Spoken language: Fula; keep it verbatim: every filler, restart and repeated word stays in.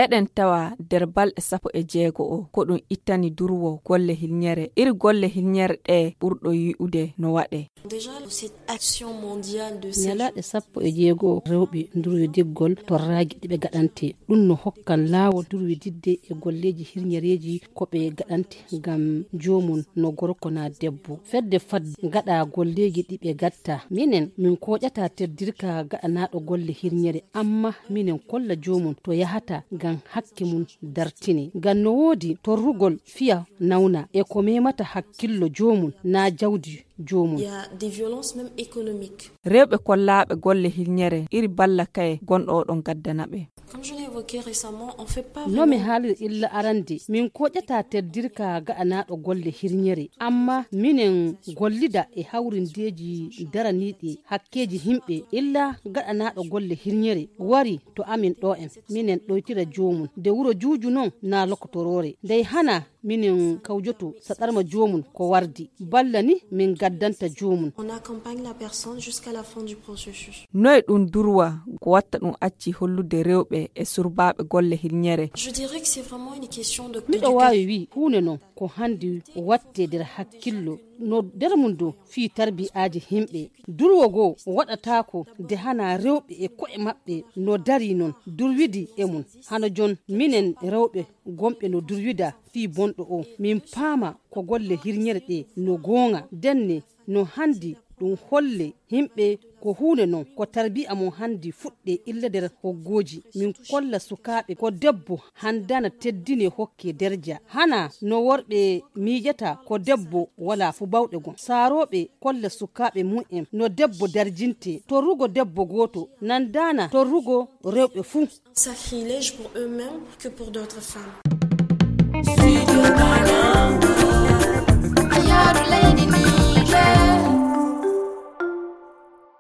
Eɗen tawa nder balɗe sappo e jeego o, ko ɗum ittani durwo golle hilñere. Iri golle hilñere ɗe ɓurɗo yi'ude no waɗe. Déjà, cette action mondiale de sécurité. Ñalaaɗe sappo e jeego rewɓe durwidiggol torraaji ɗi ɓe gaɗante. Ɗum no hokkan laawol durwididde e golleeji hirñereeji ko ɓe gaɗante ngam joomum no gorko na debbo. Fedde fadde gaɗa golleeji ɗi ɓe gatta. Minen, min koƴata teddirka gaɗanaaɗo golle hirñere, amma minen kolla joomum to yahata ngam hakke mum dartine. Ngam no woodi torrugol fiya nawna e ko memata hakkillo joomum na jawdi joomum. Il y a des violences même économiques. Rewɓe kollaaɓe golle hirñere iri balla kaye gonɗo oɗon gaddana ɓe. Comme je l'ai évoqué récemment, on fait pas No mi vraiment haaliri illa arande, min koƴata teddirka gaɗanaaɗo golle hirñere, amma minen gollida e hawrindeeji daraniiɗi hakkeeji himɓe, illa gaɗanaaɗo golle hirñere wari to amin ɗo en, minen ɗoytira joomum. Nde wuro juuju non na lokotoroore, ndey hana minen kawjoto saɗarma joomum ko wardi, balla ni min gaddanta joomum. On accompagne la personne jusqu'à la fin du processus. Noye ɗum durwa ko watta ɗum acci hollude rewɓe e surbaaɓe golle hirñere? Je dirais que c'est vraiment une question de Miɗo waawi wi huunde non ko handi watte nder hakkillo no nder mum dow fii tarbi'aaji himɓe. Durwo goo waɗataako nde hana rewɓe e ko'e maɓɓe no dari non durwidi e mum. Hano jon minen rewɓe gonɓe no durwida fii bonɗo o, min paama ko golle hirñere ɗe no goonga. Ndenne no handi ɗum holle himɓe ko huunde non ko tarbiya mo handi fuɗɗe illa nder hoggooji. Min kolla sukaaɓe ko debbo handana teddine hokke derja. Hana no worɓe miijata ko debbo wala fu bawɗe gon. Saarooɓe kolla sukaaɓe mum en no debbo darjinte. Torrugo debbo gooto nandana torrugo rewɓe fuu. Sacrilège pour eux-mêmes que pour d'autres femmes.